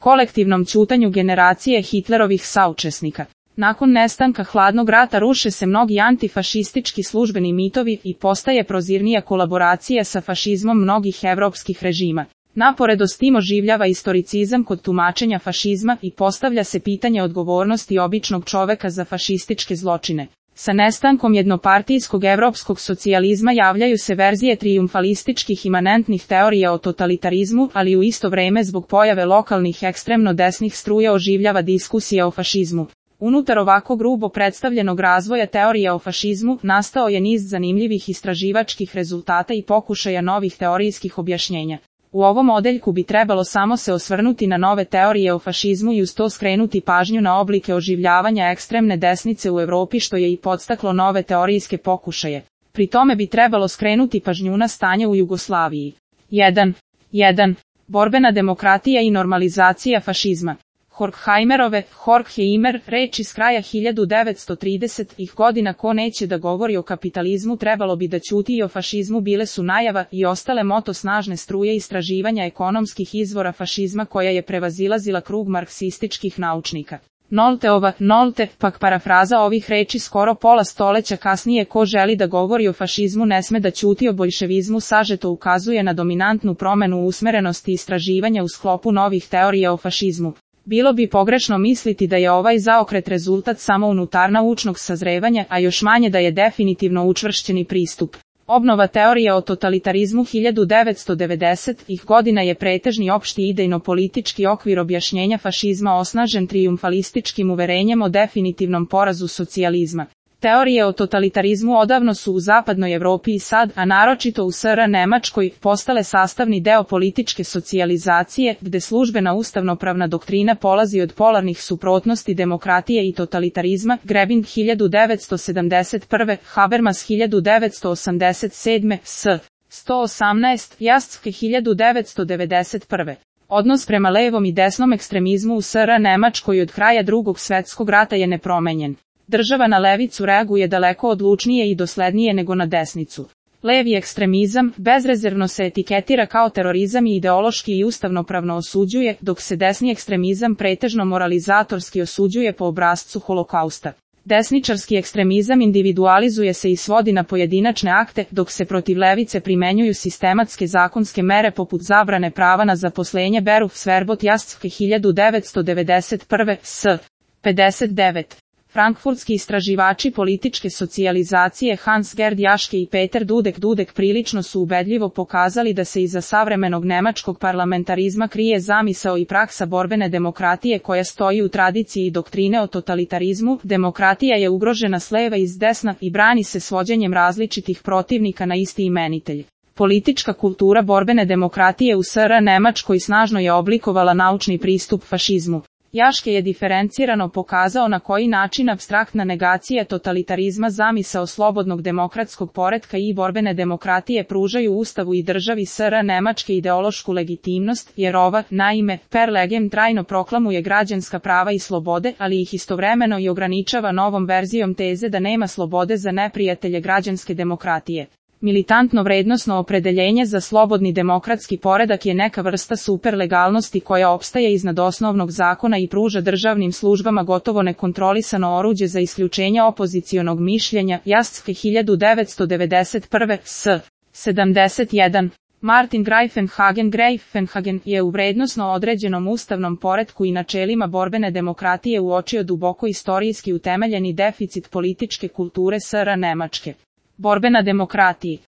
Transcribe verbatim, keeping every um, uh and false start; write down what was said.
kolektivnom ćutanju generacije Hitlerovih saučesnika. Nakon nestanka hladnog rata ruše se mnogi antifašistički službeni mitovi i postaje prozirnija kolaboracija sa fašizmom mnogih evropskih režima. Naporedost oživljava istoricizam kod tumačenja fašizma i postavlja se pitanje odgovornosti običnog čoveka za fašističke zločine. Sa nestankom jednopartijskog evropskog socijalizma javljaju se verzije trijumfalističkih imanentnih teorija o totalitarizmu, ali u isto vreme zbog pojave lokalnih ekstremno desnih struja oživljava diskusija o fašizmu. Unutar ovako grubo predstavljenog razvoja teorija o fašizmu nastao je niz zanimljivih istraživačkih rezultata i pokušaja novih teorijskih objašnjenja. U ovom odeljku bi trebalo samo se osvrnuti na nove teorije o fašizmu i uz to skrenuti pažnju na oblike oživljavanja ekstremne desnice u Evropi što je i podstaklo nove teorijske pokušaje. Pri tome bi trebalo skrenuti pažnju na stanje u Jugoslaviji. jedan. jedan. Borbena demokratija i normalizacija fašizma. Horkheimerove, Horkheimer, reč iz kraja hiljadu devetsto tridesetih godina ko neće da govori o kapitalizmu trebalo bi da ćuti i o fašizmu bile su najava i ostale moto snažne struje istraživanja ekonomskih izvora fašizma koja je prevazilazila krug marksističkih naučnika. Nolteova, Nolte, pak parafraza ovih reči skoro pola stoleća kasnije ko želi da govori o fašizmu ne sme da ćuti o boljševizmu sažeto ukazuje na dominantnu promenu usmerenosti istraživanja u sklopu novih teorija o fašizmu. Bilo bi pogrešno misliti da je ovaj zaokret rezultat samo unutarnaučnog sazrevanja, a još manje da je definitivno učvršćeni pristup. Obnova teorija o totalitarizmu hiljadu devetsto devedesetih godina je pretežni opšti idejno-politički okvir objašnjenja fašizma osnažen trijumfalističkim uverenjem o definitivnom porazu socijalizma. Teorije o totalitarizmu odavno su u zapadnoj Evropi i sad, a naročito u S R Nemačkoj, postale sastavni deo političke socijalizacije, gde službena ustavnopravna doktrina polazi od polarnih suprotnosti demokratije i totalitarizma, Grebin hiljadu devetsto sedamdeset prve, Habermas hiljadu devetsto osamdeset sedme, S. sto osamnaest, Jaschke hiljadu devetsto devedeset prve. Odnos prema levom i desnom ekstremizmu u S R Nemačkoj od kraja Drugog svetskog rata je nepromenjen. Država na levicu reaguje daleko odlučnije i doslednije nego na desnicu. Levi ekstremizam bezrezervno se etiketira kao terorizam i ideološki i ustavnopravno osuđuje, dok se desni ekstremizam pretežno moralizatorski osuđuje po obrascu holokausta. Desničarski ekstremizam individualizuje se i svodi na pojedinačne akte, dok se protiv levice primenjuju sistematske zakonske mere poput zabrane prava na zaposlenje Beruf Sverbot Jaschke hiljadu devetsto devedeset prve, S. pedeset devet. Frankfurtski istraživači političke socijalizacije Hans Gerd Jaschke i Peter Dudek Dudek prilično su ubedljivo pokazali da se iza savremenog nemačkog parlamentarizma krije zamisao i praksa borbene demokratije koja stoji u tradiciji doktrine o totalitarizmu. Demokratija je ugrožena s leva i s desna i brani se svođenjem različitih protivnika na isti imenitelj. Politička kultura borbene demokratije u S R Nemačkoj snažno je oblikovala naučni pristup fašizmu. Jaschke je diferencirano pokazao na koji način apstraktna negacija totalitarizma zamisao slobodnog demokratskog poretka i borbene demokratije pružaju Ustavu i državi S R Nemačke ideološku legitimnost, jer ova, naime, per legem trajno proklamuje građanska prava i slobode, ali ih istovremeno i ograničava novom verzijom teze da nema slobode za neprijatelje građanske demokratije. Militantno vrednosno opredeljenje za slobodni demokratski poredak je neka vrsta superlegalnosti koja opstaje iznad osnovnog zakona i pruža državnim službama gotovo nekontrolisano oruđe za isključenje opozicionog mišljenja. Jaschke hiljadu devetsto devedeset prve, S. sedamdeset jedan. Martin Greifenhagen Greifenhagen je u vrednosno određenom ustavnom poretku i načelima borbene demokratije uočio duboko istorijski utemeljeni deficit političke kulture S R Nemačke. Borbena demokratiji.